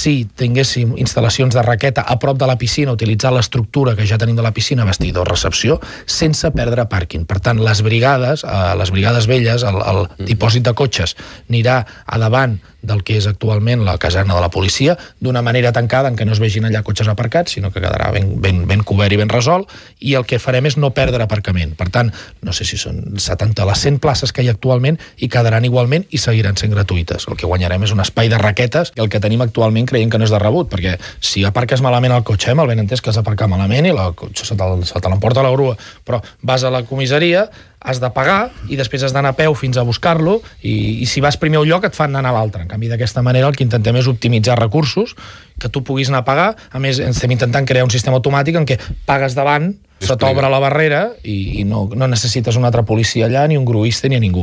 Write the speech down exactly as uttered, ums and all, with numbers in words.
si tinguéssim instal·lacions de raqueta a prop de la piscina, utilitzar l'estructura que ja tenim de la piscina, vestidor, recepció, sense perdre pàrquing. Per tant, les brigades, eh, les brigades velles, el, el dipòsit de cotxes, anirà a davant del que és actualment la caserna de la policia, d'una manera tancada en què no es vegin allà cotxes aparcats, sinó que quedarà ben, ben, ben cobert i ben resolt, i el que farem és no perdre aparcament. Per tant, no sé si són setanta les cent places que hi ha actualment, i quedaran igualment i seguiran sent gratuïtes. El que guanyarem és un espai de raquetes, i el que tenim actualment creiem que no és de rebut, perquè si aparques malament el cotxe, eh, mal ben entès que has d'aparcar malament i el cotxe se te l'emporta la grua, però vas a la comissaria, has de pagar i després has d'anar a peu fins a buscar-lo i, i si vas primer a un lloc et fan anar a l'altre. En canvi, d'aquesta manera el que intentem és optimitzar recursos, que tu puguis anar a pagar. A més, estem intentant crear un sistema automàtic en què pagues davant, se t'obre la barrera i, i no, no necessites una altra policia allà, ni un gruista, ni a ningú.